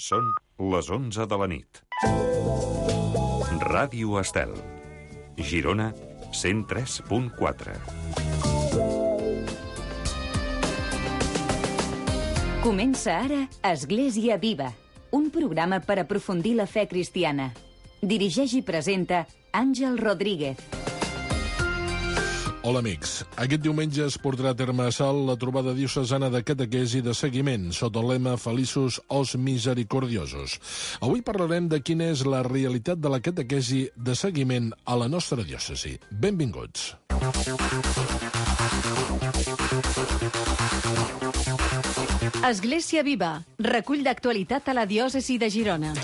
Són les 11 de la nit. Ràdio Estel. Girona, 103.4. Comença ara Església Viva, un programa per aprofundir la fe cristiana. Dirigeix i presenta Àngel Rodríguez. Hola, amics. Aquest diumenge es portarà a terme a Salt la trobada diocesana de catequesi de seguiment sota el lema Feliços os misericordiosos. Avui parlarem de quina és la realitat de la catequesi de seguiment a la nostra diòcesi. Benvinguts. Església Viva, recull d'actualitat a la diòcesi de Girona.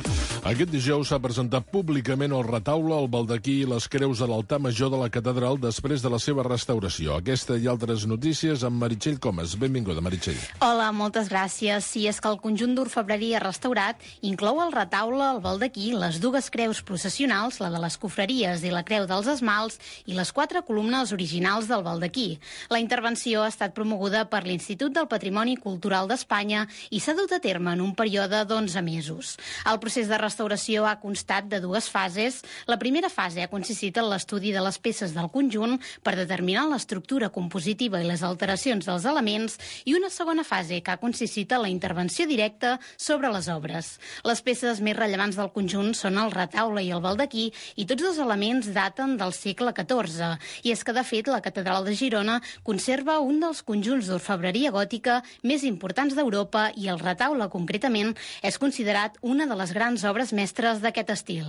Aquest dijous s'ha presentat públicament el retaule, el baldaquí i les creus de l'altar major de la catedral després de la seva restauració. Aquesta i altres notícies amb Meritxell Comas. Benvinguda, Meritxell. Hola, moltes gràcies. Sí, és que el conjunt d'orfebreria restaurat inclou el retaule, el baldaquí, les dues creus processionals, la de les cofreries i la creu dels esmalts, i les 4 columnes originals del baldaquí. La intervenció ha estat promoguda per l'Institut del Patrimoni Cultural d'Espanya i s'ha dut a terme en un període d'11 mesos. El procés de restauració ha constat de 2 fases. La primera fase ha consistit en l'estudi de les peces del conjunt per determinar l'estructura compositiva i les alteracions dels elements, i una segona fase que ha consistit en la intervenció directa sobre les obres. Les peces més rellevants del conjunt són el retaule i el baldaquí, i tots els elements daten del segle XIV. I és que, de fet, la catedral de Girona conserva un dels conjunts d'orfebreria gòtica més importants d'Europa, i el retaule, concretament, és considerat una de les grans obres mestres d'aquest estil.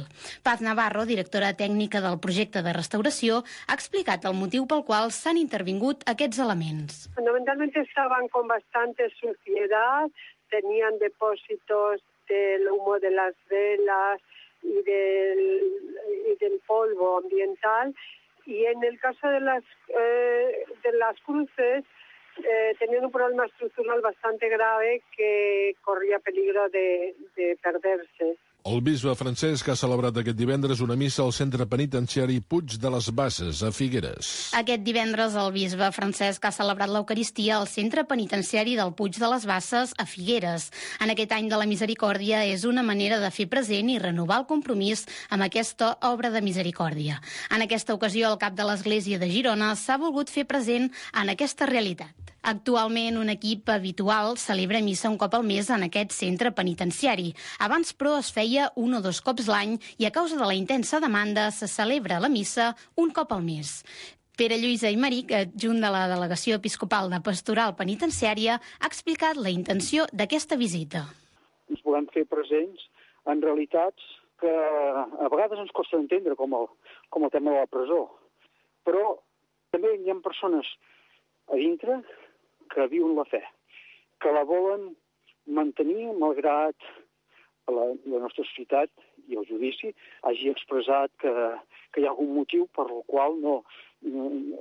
Paz Navarro, directora tècnica del projecte de restauració, ha explicat el motiu pel qual s'han intervingut aquests elements. Fundamentalmente estaban con bastante suciedad, tenían depósitos del humo de las velas y del polvo ambiental, y en el caso de las cruces tenían un problema estructural bastante grave que corría peligro de perderse. El bisbe Francesc ha celebrat aquest divendres una missa al centre penitenciari Puig de les Basses, a Figueres. Aquest divendres el bisbe Francesc ha celebrat l'Eucaristia al centre penitenciari del Puig de les Basses, a Figueres. En aquest any de la misericòrdia és una manera de fer present i renovar el compromís amb aquesta obra de misericòrdia. En aquesta ocasió, el cap de l'Església de Girona s'ha volgut fer present en aquesta realitat. Actualment, un equip habitual celebra missa un cop al mes en aquest centre penitenciari. Abans, però, es feia 1 o 2 cops l'any, i a causa de la intensa demanda se celebra la missa un cop al mes. Pere Lluís Aymeric, adjunt de la Delegació Episcopal de Pastoral Penitenciària, ha explicat la intenció d'aquesta visita. Ens volem fer presents en realitats que a vegades ens costa entendre, com el tema de la presó. Però també hi ha persones a dintre que viuen la fe, que la volen mantenir malgrat la nostra societat i el judici hagi expressat que hi ha algun motiu per el qual no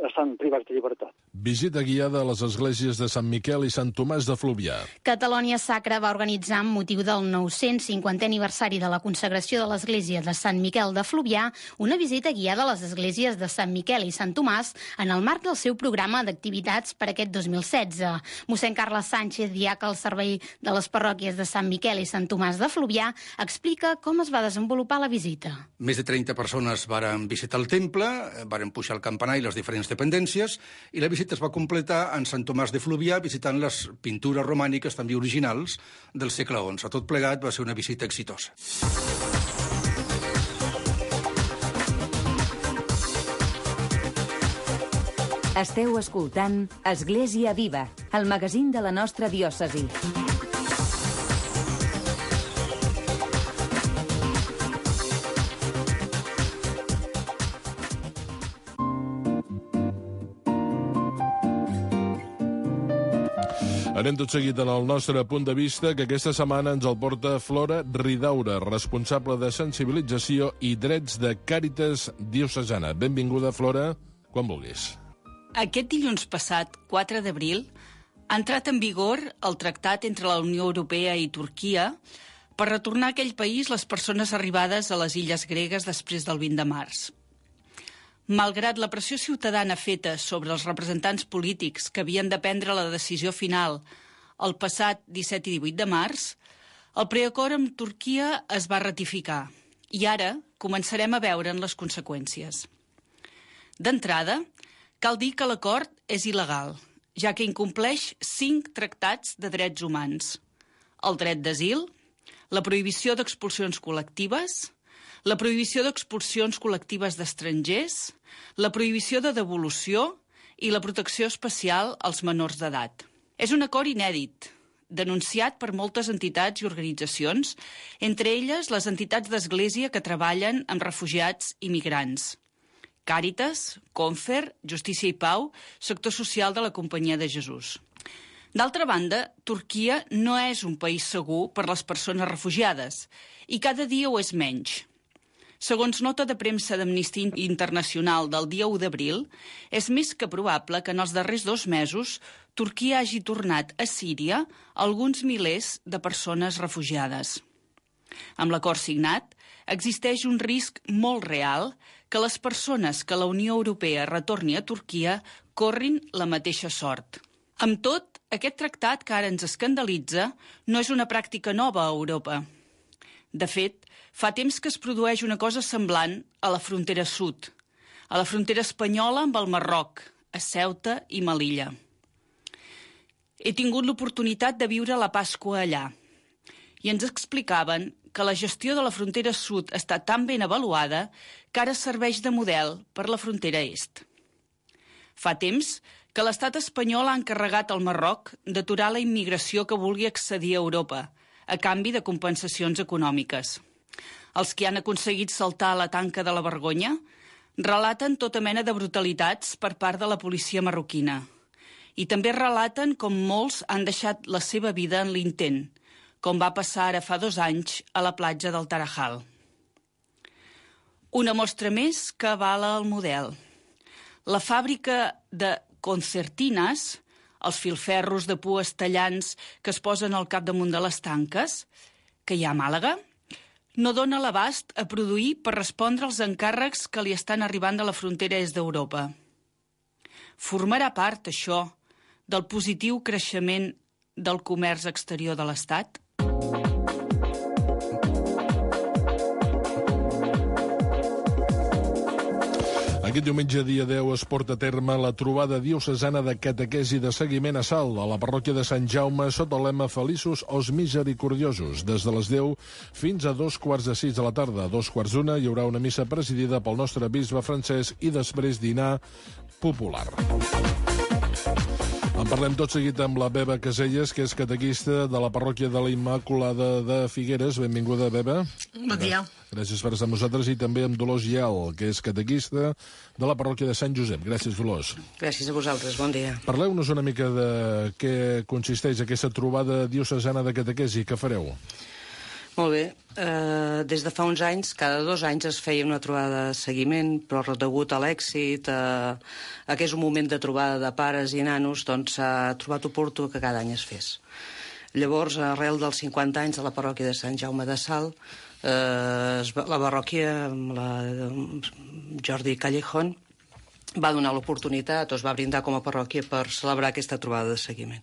estan privats de llibertat. Visita guiada a les esglésies de Sant Miquel i Sant Tomàs de Fluvià. Catalonia Sacra va organitzar, amb motiu del 950è aniversari de la consagració de l'església de Sant Miquel de Fluvià, una visita guiada a les esglésies de Sant Miquel i Sant Tomàs en el marc del seu programa d'activitats per aquest 2016. Mossèn Carles Sánchez, diaca al servei de les parròquies de Sant Miquel i Sant Tomàs de Fluvià, explica com es va desenvolupar la visita. Més de 30 persones varen visitar el temple, varen pujar al campanar i les diferents dependències, i la visita es va completar en Sant Tomàs de Fluvià visitant les pintures romàniques també originals del segle XI. Tot plegat va ser una visita exitosa. Esteu escoltant Església Viva, el magazín de la nostra diòcesi. Anem tot seguit en el nostre punt de vista, que aquesta setmana ens el porta Flora Ridaura, responsable de sensibilització i drets de Càritas Diocesana. Benvinguda, Flora, quan vulguis. Aquest dilluns passat, 4 d'abril, ha entrat en vigor el tractat entre la Unió Europea i Turquia per retornar a aquell país les persones arribades a les illes gregues després del 20 de març. Malgrat la pressió ciutadana feta sobre els representants polítics que havien de prendre la decisió final el passat 17 i 18 de març, El preacord amb Turquia es va ratificar i ara començarem a veure'n les conseqüències. D'entrada, cal dir que l'acord és il·legal, ja que incompleix 5 tractats de drets humans: el dret d'asil, la prohibició d'expulsions col·lectives, la prohibició d'expulsions col·lectives d'estrangers, la prohibició de devolució i la protecció especial als menors d'edat. És un acord inèdit, denunciat per moltes entitats i organitzacions, entre elles les entitats d'església que treballen amb refugiats i migrants: Càritas, Confer, Justícia i Pau, sector social de la Companyia de Jesús. D'altra banda, Turquia no és un país segur per les persones refugiades i cada dia ho és menys. Segons nota de premsa d'Amnistia Internacional del dia 1 d'abril, és més que probable que en els darrers 2 mesos Turquia hagi tornat a Síria alguns milers de persones refugiades. Amb l'acord signat, existeix un risc molt real que les persones que la Unió Europea retorni a Turquia corrin la mateixa sort. Amb tot, aquest tractat que ara ens escandalitza no és una pràctica nova a Europa. De fet, fa temps que es produeix una cosa semblant a la frontera sud, a la frontera espanyola amb el Marroc, a Ceuta i Melilla. He tingut l'oportunitat de viure la Pasqua allà i ens explicaven que la gestió de la frontera sud està tan ben avaluada que ara serveix de model per la frontera est. Fa temps que l'estat espanyol ha encarregat al Marroc d'aturar la immigració que vulgui accedir a Europa, a canvi de compensacions econòmiques. Els que han aconseguit saltar la tanca de la vergonya relaten tota mena de brutalitats per part de la policia marroquina. I també relaten com molts han deixat la seva vida en l'intent, com va passar ara fa 2 anys a la platja del Tarajal. Una mostra més que avala el model. La fàbrica de concertines, els filferros de pues tallants que es posen al capdamunt de les tanques, que hi ha a Màlaga, no dona l'abast a produir per respondre als encàrrecs que li estan arribant de la frontera est d'Europa. Formarà part, això, del positiu creixement del comerç exterior de l'Estat? Aquest diumenge, dia 10, es porta a terme la trobada diocesana de catequesi de seguiment a Salt, a la parròquia de Sant Jaume, sota el lema Feliços os Misericordiosos. Des de les 10 fins a 2:45 de la tarda. A 2:45 hi haurà una missa presidida pel nostre bisbe Francesc i després dinar popular. En parlem tot seguit amb la Beba Caselles, que és catequista de la parròquia de la Immaculada de Figueres. Benvinguda, Beba. Bon dia. Gràcies per estar amb nosaltres. I també amb Dolors Gial, que és catequista de la parròquia de Sant Josep. Gràcies, Dolors. Gràcies a vosaltres, bon dia. Parleu-nos una mica de què consisteix aquesta trobada diocesana de catequesi. Què fareu? Molt bé. Des de fa uns anys, cada 2 anys es feia una trobada de seguiment, però degut a l'èxit, que és un moment de trobada de pares i nanos, doncs s'ha trobat oportú que cada any es fes. Llavors, arrel dels 50 anys de la parròquia de Sant Jaume de Salt, la parròquia, amb la Jordi Callejón, va donar l'oportunitat, o es va brindar com a parròquia per celebrar aquesta trobada de seguiment.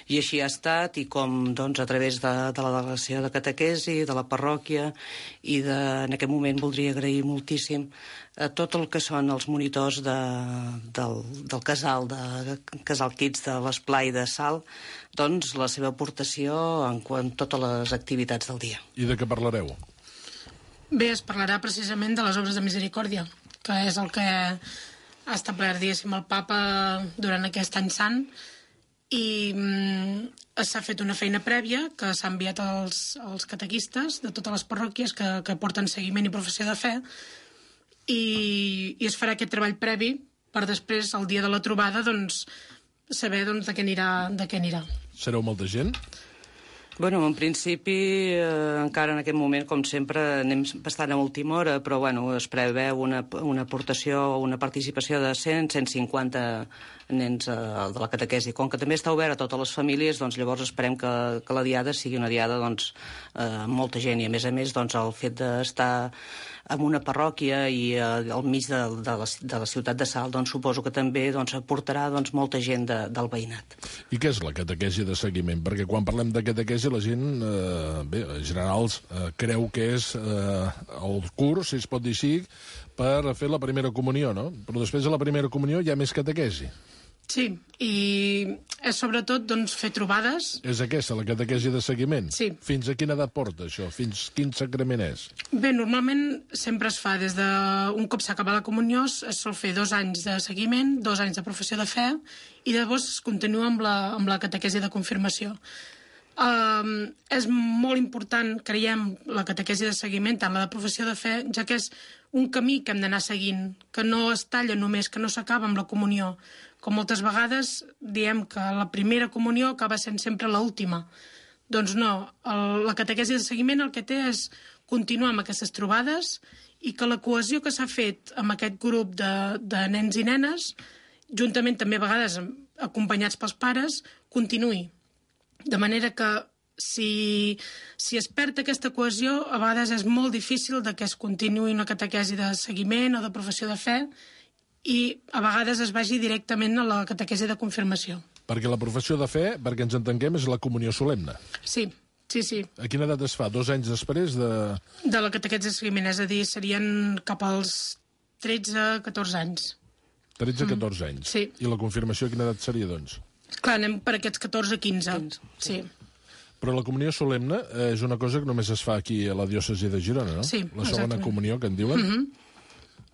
I així ha estat, i com doncs, a través de la delegació de catequesi, de la parròquia, i en aquest moment voldria agrair moltíssim a tot el que són els monitors del casal Kids de l'Esplai de Salt, doncs la seva aportació en totes les activitats del dia. I de què parlareu? Bé, es parlarà precisament de les obres de misericòrdia, que és el que ha establert, diguéssim, el papa durant aquest any sant, i s'ha fet una feina prèvia que s'ha enviat als catequistes de totes les parròquies que porten seguiment i professió de fe, i es farà aquest treball previ per després, el dia de la trobada, doncs, saber de què anirà. Sereu molta gent? Bueno, en principi, encara en aquest moment, com sempre, anem bastant a última hora, però bueno, es preveu una aportació o una participació de 100-150 nens de la catequesi. Com que també està obert a totes les famílies, doncs llavors esperem que la diada sigui una diada doncs, amb molta gent, i a més doncs, el fet d'estar en una parròquia i al mig de la ciutat de Salt, doncs suposo que també doncs, aportarà doncs, molta gent del veïnat. I què és la catequesi de seguiment? Perquè quan parlem de catequesi la gent, bé, en general, creu que és el curs, si es pot dir així, per fer la primera comunió, no? Però després de la primera comunió hi ha més catequesi. Sí, i és sobretot doncs, fer trobades. És aquesta, la catequesi de seguiment? Sí. Fins a quina edat porta això? Fins quin sacrament és? Bé, normalment sempre es fa des de... Un cop s'acaba la comunió es sol fer 2 anys de seguiment, 2 anys de professió de fe, i llavors es continua amb la catequesi de confirmació. És molt important, creiem, la catequesi de seguiment, tant la de professió de fe, ja que és un camí que hem d'anar seguint, que no es talla només, que no s'acaba amb la comunió. Com moltes vegades diem que la primera comunió acaba sent sempre l'última. Doncs no, la catequesi de seguiment el que té és continuar amb aquestes trobades i que la cohesió que s'ha fet amb aquest grup de nens i nenes, juntament també a vegades acompanyats pels pares, continuï. De manera que si es perd aquesta cohesió, a vegades és molt difícil que es continuï una catequesi de seguiment o de professió de fe i a vegades es vagi directament a la catequesi de confirmació. Perquè la professió de fe, perquè ens entenguem, és la comunió solemne. Sí. A quina edat es fa? 2 anys després de... De la catequesi de seguiment, és a dir, serien cap als 13-14 anys. 13-14 anys? Sí. I la confirmació a quina edat seria, doncs? Clar, anem per aquests 14-15. Sí. Però la comunió solemne és una cosa que només es fa aquí a la diòcesi de Girona, no? Sí, la segona comunió, que en diuen?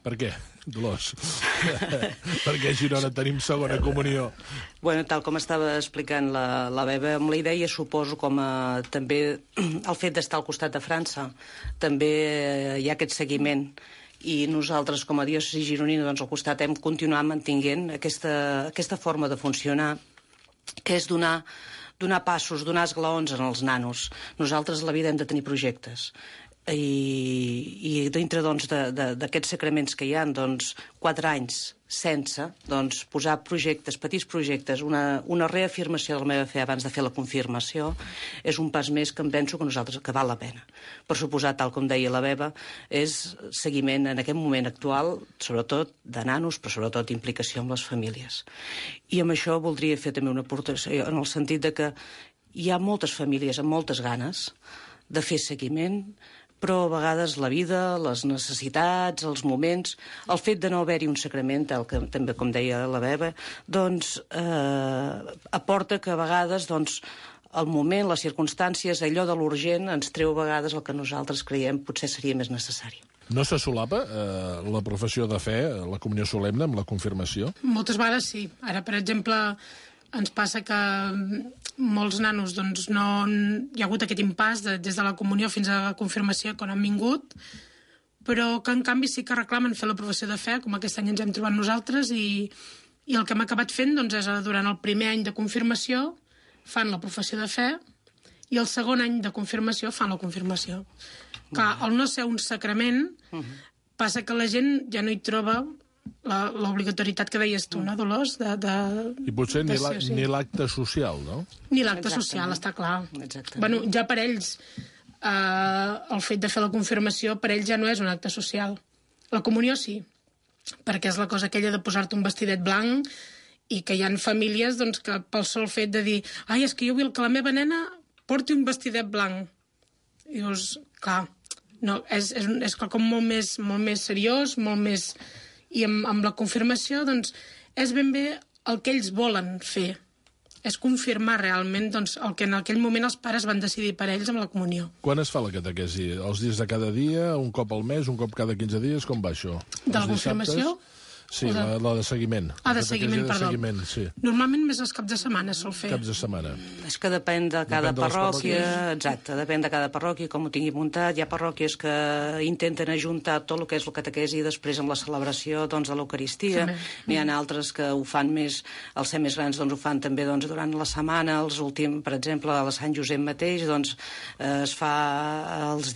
Per què, Dolors? Perquè a Girona tenim segona comunió. Bueno, tal com estava explicant la Beba, amb la idea, suposo, com també el fet d'estar al costat de França, també hi ha aquest seguiment. I nosaltres, com a diòcesi gironina, doncs, al costat hem continuat mantinguent aquesta forma de funcionar, que és donar passos, donar esglaons als nanos. Nosaltres a la vida hem de tenir projectes. I dintre doncs, d'aquests sacraments que hi ha, doncs, 4 anys sense posar projectes, petits projectes, una reafirmació de la meva fe abans de fer la confirmació, és un pas més que em penso que val la pena. Per suposar, tal com deia la Beba, és seguiment en aquest moment actual, sobretot de nanos, però sobretot implicació amb les famílies. I amb això voldria fer també una aportació, en el sentit de que hi ha moltes famílies amb moltes ganes de fer seguiment, però a vegades la vida, les necessitats, els moments, el fet de no haver-hi un sacrament, també com deia la Beba, doncs aporta que a vegades el moment, les circumstàncies, allò de l'urgent, ens treu a vegades el que nosaltres creiem potser seria més necessari. No se solapa la professió de fe, la comunió solemne, amb la confirmació? Moltes vegades sí. Ara, per exemple, ens passa que molts nanos no hi ha hagut aquest impàs des de la comunió fins a la confirmació quan han vingut, però que en canvi sí que reclamen fer la professió de fe, com aquest any ens hem trobat nosaltres, i el que hem acabat fent és durant el primer any de confirmació fan la professió de fe i el segon any de confirmació fan la confirmació. Que al no ser un sacrament passa que la gent ja no hi troba l'obligatorietat que deies tu, no, Dolors? I potser ni l'acte social, no? Ni l'acte social, està clar. Bueno, ja per ells, el fet de fer la confirmació, per ells ja no és un acte social. La comunió sí, perquè és la cosa aquella de posar-te un vestidet blanc i que hi ha famílies que pel sol fet de dir ai, és que jo vull que la meva nena porti un vestidet blanc. I dius, clar, no, és com molt més seriós, molt més... I amb la confirmació, és ben bé el que ells volen fer. És confirmar realment el que en aquell moment els pares van decidir per ells amb la comunió. Quan es fa la catequesi? Els dies de cada dia, un cop al mes, un cop cada 15 dies? Com va això? De la confirmació? Sí, la de seguiment. De seguiment, perdó. Sí. Normalment més els caps de setmana sol fer. Caps de setmana. És que depèn de cada parròquia, exacte, depèn de cada parròquia, com ho tingui muntat. Hi ha parròquies que intenten ajuntar tot el que és la catequesi i després amb la celebració de l'Eucaristia. N'hi ha altres que ho fan més, els ser més grans ho fan també durant la setmana, per exemple, a la Sant Josep mateix, es fa els dies